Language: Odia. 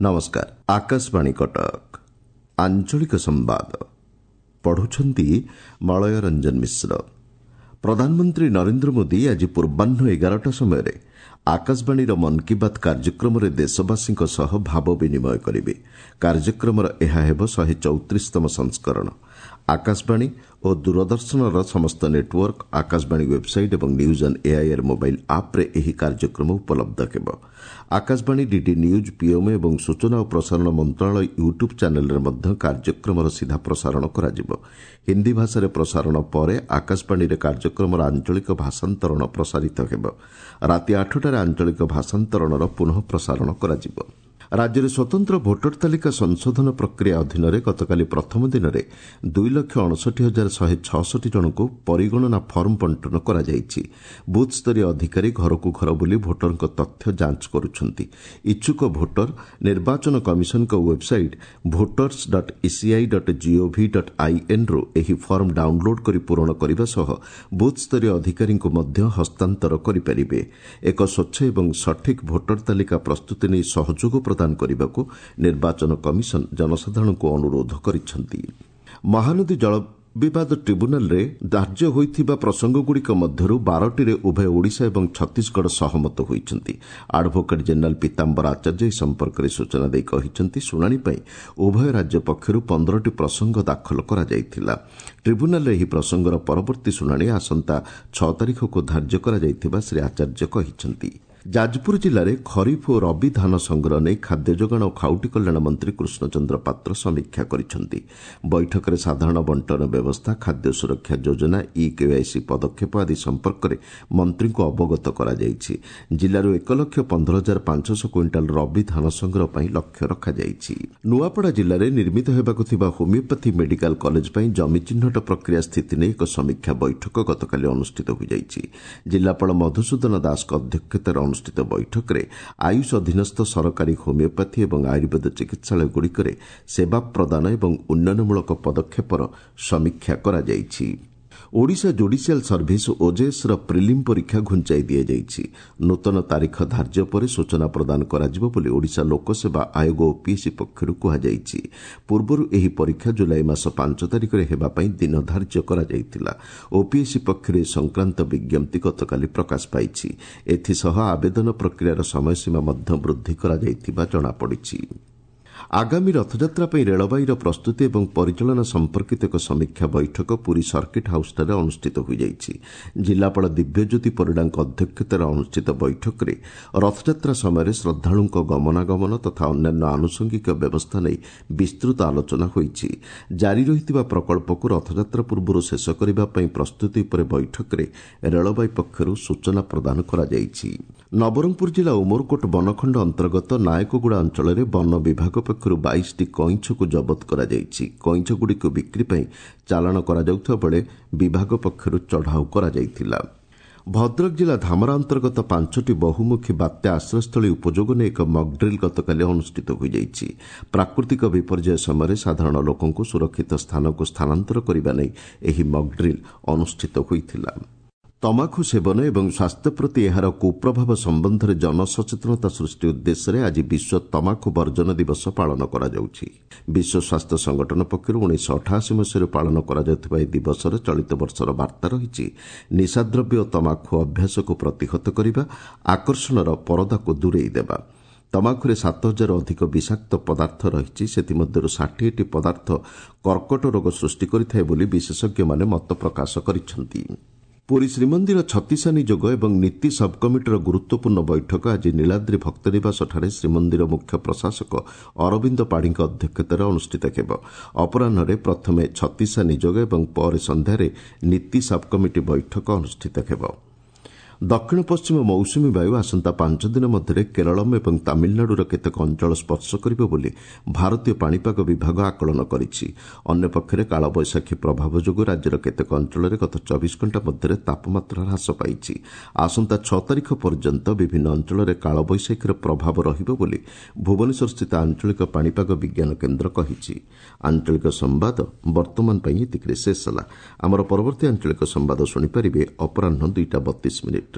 ନମସ୍କାର, ଆକାଶବାଣୀ କଟକ। ଆଞ୍ଚଳିକ ସମ୍ବାଦ ପଢୁଛନ୍ତି ମଳୟ ରଞ୍ଜନ ମିଶ୍ର। ପ୍ରଧାନମନ୍ତ୍ରୀ ନରେନ୍ଦ୍ର ମୋଦି ଆଜି ପୂର୍ବାହ୍ନ 11ଟା ସମୟରେ ଆକାଶବାଣୀର ମନ୍ କି ବାତ୍ କାର୍ଯ୍ୟକ୍ରମରେ ଦେଶବାସୀଙ୍କ ସହ ଭାବ ବିନିମୟ କରିବେ। କାର୍ଯ୍ୟକ୍ରମର ଏହା ହେବ 134ତମ ସଂସ୍କରଣ। ଆକାଶବାଣୀ ଓ ଦୂରଦର୍ଶନର ସମସ୍ତ ନେଟୱର୍କ, ଆକାଶବାଣୀ ୱେବ୍ସାଇଟ୍ ଏବଂ ନ୍ୟୁଜ୍ ଅନ୍ ଏଆଇଆର୍ ମୋବାଇଲ୍ ଆପ୍ରେ ଏହି କାର୍ଯ୍ୟକ୍ରମ ଉପଲବ୍ଧ ହେବ। ଆକାଶବାଣୀ, ଡିଡି ନ୍ୟୁଜ୍, ପିଏମ୍ଓ ଏବଂ ସୂଚନା ଓ ପ୍ରସାରଣ ମନ୍ତ୍ରଣାଳୟ ୟୁଟ୍ୟୁବ୍ ଚ୍ୟାନେଲ୍ରେ ମଧ୍ୟ କାର୍ଯ୍ୟକ୍ରମର ସିଧା ପ୍ରସାରଣ କରାଯିବ। ହିନ୍ଦୀ ଭାଷାରେ ପ୍ରସାରଣ ପରେ ଆକାଶବାଣୀରେ କାର୍ଯ୍ୟକ୍ରମର ଆଞ୍ଚଳିକ ଭାଷାନ୍ତରଣ ପ୍ରସାରିତ ହେବ। ରାତି 8ଟାରେ ଆଞ୍ଚଳିକ ଭାଷାନ୍ତରଣର ପୁନଃ ପ୍ରସାରଣ କରାଯିବ। ରାଜ୍ୟରେ ସ୍ୱତନ୍ତ୍ର ଭୋଟର ତାଲିକା ସଂଶୋଧନ ପ୍ରକ୍ରିୟା ଅଧୀନରେ ଗତକାଲି ପ୍ରଥମ ଦିନରେ 2,59,166 ଜଣଙ୍କୁ ପରିଗଣନା ଫର୍ମ ବଣ୍ଟନ କରାଯାଇଛି। ବୁଥ୍ସ୍ତରୀୟ ଅଧିକାରୀ ଘରକୁ ଘର ବୁଲି ଭୋଟରଙ୍କ ତଥ୍ୟ ଯାଞ୍ଚ କରୁଛନ୍ତି। ଇଚ୍ଛୁକ ଭୋଟର ନିର୍ବାଚନ କମିଶନଙ୍କ website voters dot ECI dot GOV dot ଆଇଏନ୍ରୁ ଏହି ଫର୍ମ ଡାଉନ୍ଲୋଡ୍ କରି ପୂରଣ କରିବା ସହ ବୁଥ୍ସ୍ତରୀୟ ଅଧିକାରୀଙ୍କୁ ମଧ୍ୟ ହସ୍ତାନ୍ତର କରିପାରିବେ। ଏକ ସ୍ୱଚ୍ଛ ଏବଂ ସଠିକ୍ ଭୋଟର ତାଲିକା ପ୍ରସ୍ତୁତି ନେଇ ସହଯୋଗ ପ୍ରଦାନ କରିବାକୁ ନିର୍ବାଚନ କମିଶନ ଜନସାଧାରଣଙ୍କୁ ଅନୁରୋଧ କରିଛନ୍ତି। ମହାନଦୀ ଜଳ ବିବାଦ ଟ୍ରିବ୍ୟୁନାଲରେ ଧାର୍ଯ୍ୟ ହୋଇଥିବା ପ୍ରସଙ୍ଗଗୁଡ଼ିକ ମଧ୍ୟରୁ 12ଟିରେ ଉଭୟ ଓଡ଼ିଶା ଏବଂ ଛତିଶଗଡ଼ ସହମତ ହୋଇଛନ୍ତି। ଆଡଭୋକେଟ୍ ଜେନେରାଲ୍ ପୀତାମ୍ବର ଆଚାର୍ଯ୍ୟ ଏ ସମ୍ପର୍କରେ ସୂଚନା ଦେଇ କହିଛନ୍ତି, ଶୁଣାଣି ପାଇଁ ଉଭୟ ରାଜ୍ୟ ପକ୍ଷରୁ 15ଟି ପ୍ରସଙ୍ଗ ଦାଖଲ କରାଯାଇଥିଲା। ଟ୍ରିବ୍ୟୁନାଲରେ ଏହି ପ୍ରସଙ୍ଗର ପରବର୍ତ୍ତୀ ଶୁଣାଣି ଆସନ୍ତା 6 ତାରିଖକୁ ଧାର୍ଯ୍ୟ କରାଯାଇଥିବା ଶ୍ରୀ ଆଚାର୍ଯ୍ୟ କହିଛନ୍ତି। ଯାଜପୁର ଜିଲ୍ଲାରେ ଖରିଫ ଓ ରବି ଧାନ ସଂଗ୍ରହ ନେଇ ଖାଦ୍ୟ ଯୋଗାଣ ଓ ଖାଉଟି କଲ୍ୟାଣ ମନ୍ତ୍ରୀ କୃଷ୍ଣଚନ୍ଦ୍ର ପାତ୍ର ସମୀକ୍ଷା କରିଛନ୍ତି। ବୈଠକରେ ସାଧାରଣ ବଣ୍ଟନ ବ୍ୟବସ୍ଥା, ଖାଦ୍ୟ ସୁରକ୍ଷା ଯୋଜନା, ଇ କେୱାଇସି ପଦକ୍ଷେପ ଆଦି ସମ୍ପର୍କରେ ମନ୍ତ୍ରୀଙ୍କୁ ଅବଗତ କରାଯାଇଛି। ଜିଲ୍ଲାରୁ 1,15,500 କୁଇଣ୍ଟାଲ ରବି ଧାନ ସଂଗ୍ରହ ପାଇଁ ଲକ୍ଷ୍ୟ ରଖାଯାଇଛି। ନୂଆପଡ଼ା ଜିଲ୍ଲାରେ ନିର୍ମିତ ହେବାକୁ ଥିବା ହୋମିଓପାଥି ମେଡିକାଲ କଲେଜ ପାଇଁ ଜମି ଚିହ୍ନଟ ପ୍ରକ୍ରିୟା ସ୍ଥିତି ନେଇ ଏକ ସମୀକ୍ଷା ବୈଠକ ଗତକାଲି ଅନୁଷ୍ଠିତ ହୋଇଯାଇଛି। ଜିଲ୍ଲାପାଳ ମଧୁସୂଦନ ଦାସଙ୍କ ଅଧ୍ୟକ୍ଷତାରେ ଅନୁଷ୍ଠିତ ବୈଠକରେ ଆୟୁଷ ଅଧୀନସ୍ଥ ସରକାରୀ ହୋମିଓପାଥି ଏବଂ ଆୟୁର୍ବେଦ ଚିକିତ୍ସାଳୟଗୁଡ଼ିକରେ ସେବା ପ୍ରଦାନ ଏବଂ ଉନ୍ନୟନମୂଳକ ପଦକ୍ଷେପର ସମୀକ୍ଷା କରାଯାଇଛି। ଓଡ଼ିଶା ଜୁଡିସିଆଲ୍ ସର୍ଭିସ୍ ଓଜେଏସ୍ର ପ୍ରିଲିମ୍ ପରୀକ୍ଷା ଘୁଞ୍ଚାଇ ଦିଆଯାଇଛି। ନୂତନ ତାରିଖ ଧାର୍ଯ୍ୟ ପରେ ସୂଚନା ପ୍ରଦାନ କରାଯିବ ବୋଲି ଓଡ଼ିଶା ଲୋକସେବା ଆୟୋଗ ଓପିଏସ୍ସି ପକ୍ଷରୁ କୁହାଯାଇଛି। ପୂର୍ବରୁ ଏହି ପରୀକ୍ଷା ଜୁଲାଇ ମାସ 5 ତାରିଖରେ ହେବା ପାଇଁ ଦିନ ଧାର୍ଯ୍ୟ କରାଯାଇଥିଲା। ଓପିଏସ୍ସି ପକ୍ଷରୁ ଏ ସଂକ୍ରାନ୍ତ ବିଜ୍ଞପ୍ତି ଗତକାଲି ପ୍ରକାଶ ପାଇଛି। ଏଥିସହ ଆବେଦନ ପ୍ରକ୍ରିୟାର ସମୟସୀମା ମଧ୍ୟ ବୃଦ୍ଧି କରାଯାଇଥିବା ଜଣାପଡ଼ିଛି। ଆଗାମୀ ରଥଯାତ୍ରା ପାଇଁ ରେଳବାଇର ପ୍ରସ୍ତୁତି ଏବଂ ପରିଚାଳନା ସମ୍ପର୍କିତ ଏକ ସମୀକ୍ଷା ବୈଠକ ପୁରୀ ସର୍କିଟ୍ ହାଉସ୍ଠାରେ ଅନୁଷ୍ଠିତ ହୋଇଯାଇଛି। ଜିଲ୍ଲାପାଳ ଦିବ୍ୟଜ୍ୟୋତି ପରିଡ଼ାଙ୍କ ଅଧ୍ୟକ୍ଷତାରେ ଅନୁଷ୍ଠିତ ବୈଠକରେ ରଥଯାତ୍ରା ସମୟରେ ଶ୍ରଦ୍ଧାଳୁଙ୍କ ଗମନାଗମନ ତଥା ଅନ୍ୟାନ୍ୟ ଆନୁଷଙ୍ଗିକ ବ୍ୟବସ୍ଥା ନେଇ ବିସ୍ତୃତ ଆଲୋଚନା ହୋଇଛି। ଜାରି ରହିଥିବା ପ୍ରକଳ୍ପକୁ ରଥଯାତ୍ରା ପୂର୍ବରୁ ଶେଷ କରିବା ପାଇଁ ପ୍ରସ୍ତୁତି ଉପରେ ବୈଠକରେ ରେଳବାଇ ପକ୍ଷରୁ ସୂଚନା ପ୍ରଦାନ କରାଯାଇଛି। ନବରଙ୍ଗପୁର ଜିଲ୍ଲା ଉମରକୋଟ ବନଖଣ୍ଡ ଅନ୍ତର୍ଗତ ନାୟକଗୁଡ଼ା ଅଞ୍ଚଳରେ ବନ ବିଭାଗ ପକ୍ଷରୁ 22ଟି କଇଁଛକୁ ଜବତ କରାଯାଇଛି। କଇଁଛଗୁଡ଼ିକୁ ବିକ୍ରି ପାଇଁ ଚାଲାଣ କରାଯାଉଥିବା ବେଳେ ବିଭାଗ ପକ୍ଷରୁ ଚଢ଼ାଉ କରାଯାଇଥିଲା। ଭଦ୍ରକ ଜିଲ୍ଲା ଧାମରା ଅନ୍ତର୍ଗତ 5ଟି ବହୁମୁଖୀ ବାତ୍ୟା ଆଶ୍ରୟସ୍ଥଳୀ ଉପଯୋଗ ନେଇ ଏକ ମକ୍ଡ୍ରିଲ୍ ଗତକାଲି ଅନୁଷ୍ଠିତ ହୋଇଯାଇଛି। ପ୍ରାକୃତିକ ବିପର୍ଯ୍ୟୟ ସମୟରେ ସାଧାରଣ ଲୋକଙ୍କୁ ସୁରକ୍ଷିତ ସ୍ଥାନକୁ ସ୍ଥାନାନ୍ତର କରିବା ନେଇ ଏହି ମକ୍ଡ୍ରିଲ୍ ଅନୁଷ୍ଠିତ ହୋଇଥିଲା। ତମାଖୁ ସେବନ ଏବଂ ସ୍ୱାସ୍ଥ୍ୟ ପ୍ରତି ଏହାର କୁପ୍ରଭାବ ସମ୍ବନ୍ଧରେ ଜନସଚେତନତା ସୃଷ୍ଟି ଉଦ୍ଦେଶ୍ୟରେ ଆଜି ବିଶ୍ୱ ତମାଖୁ ବର୍ଜନ ଦିବସ ପାଳନ କରାଯାଉଛି। ବିଶ୍ୱ ସ୍ୱାସ୍ଥ୍ୟ ସଂଗଠନ ପକ୍ଷରୁ 1988 ମସିହାରୁ ପାଳନ କରାଯାଉଥିବା ଏହି ଦିବସର ଚଳିତ ବର୍ଷର ବାର୍ତ୍ତା ରହିଛି, ନିଶାଦ୍ରବ୍ୟ ଓ ତମାଖୁ ଅଭ୍ୟାସକୁ ପ୍ରତିହତ କରିବା, ଆକର୍ଷଣର ପରଦାକୁ ଦୂରେଇ ଦେବା। ତମାଖୁରେ 7000 ଅଧିକ ବିଷାକ୍ତ ପଦାର୍ଥ ରହିଛି। ସେଥିମଧ୍ୟରୁ 60ଟି ପଦାର୍ଥ କର୍କଟ ରୋଗ ସୃଷ୍ଟି କରିଥାଏ ବୋଲି ବିଶେଷଜ୍ଞମାନେ ମତ ପ୍ରକାଶ କରିଛନ୍ତି। ପୁରୀ ଶ୍ରୀମନ୍ଦିର ଛତିଶା ନିଯୋଗ ଏବଂ ନୀତି ସବ୍କମିଟିର ଗୁରୁତ୍ୱପୂର୍ଣ୍ଣ ବୈଠକ ଆଜି ନୀଳାଦ୍ରି ଭକ୍ତନିବାସଠାରେ ଶ୍ରୀମନ୍ଦିର ମୁଖ୍ୟ ପ୍ରଶାସକ ଅରବିନ୍ଦ ପାଢ଼ୀଙ୍କ ଅଧ୍ୟକ୍ଷତାରେ ଅନୁଷ୍ଠିତ ହେବ। ଅପରାହ୍ନରେ ପ୍ରଥମେ ଛତିଶା ନିଯୋଗ ଏବଂ ପରେ ସନ୍ଧ୍ୟାରେ ନୀତି ସବ୍କମିଟି ବୈଠକ ଅନୁଷ୍ଠିତ ହେବ। ଦକ୍ଷିଣ ପଶ୍ଚିମ ମୌସୁମୀ ବାୟୁ ଆସନ୍ତା 5 ଦିନ ମଧ୍ୟରେ କେରଳମ୍ ଏବଂ ତାମିଲନାଡୁର କେତେକ ଅଞ୍ଚଳ ସ୍ପର୍ଶ କରିବ ବୋଲି ଭାରତୀୟ ପାଣିପାଗ ବିଭାଗ ଆକଳନ କରିଛି। ଅନ୍ୟପକ୍ଷରେ କାଳବୈଶାଖୀ ପ୍ରଭାବ ଯୋଗୁଁ ରାଜ୍ୟର କେତେକ ଅଞ୍ଚଳରେ ଗତ 24 ଘଣ୍ଟା ମଧ୍ୟରେ ତାପମାତ୍ରା ହ୍ରାସ ପାଇଛି। ଆସନ୍ତା 6 ତାରିଖ ପର୍ଯ୍ୟନ୍ତ ବିଭିନ୍ନ ଅଞ୍ଚଳରେ କାଳବୈଶାଖୀର ପ୍ରଭାବ ରହିବ ବୋଲି ଭୁବନେଶ୍ୱରସ୍ଥିତ ଆଞ୍ଚଳିକ ପାଣିପାଗ ବିଜ୍ଞାନ କେନ୍ଦ୍ର କହିଛି। ଆଞ୍ଚଳିକ ସମ୍ବାଦ ବର୍ତ୍ତମାନ ପାଇଁ ଏତିକିରେ ଶେଷ ହେଲା। ଆମର ପରବର୍ତ୍ତୀ ଆଞ୍ଚଳିକ ସମ୍ବାଦ ଶୁଣିପାରିବେ ଅପରାହ୍ନ 2ଟା 32 ମିନିଟ୍ରେ।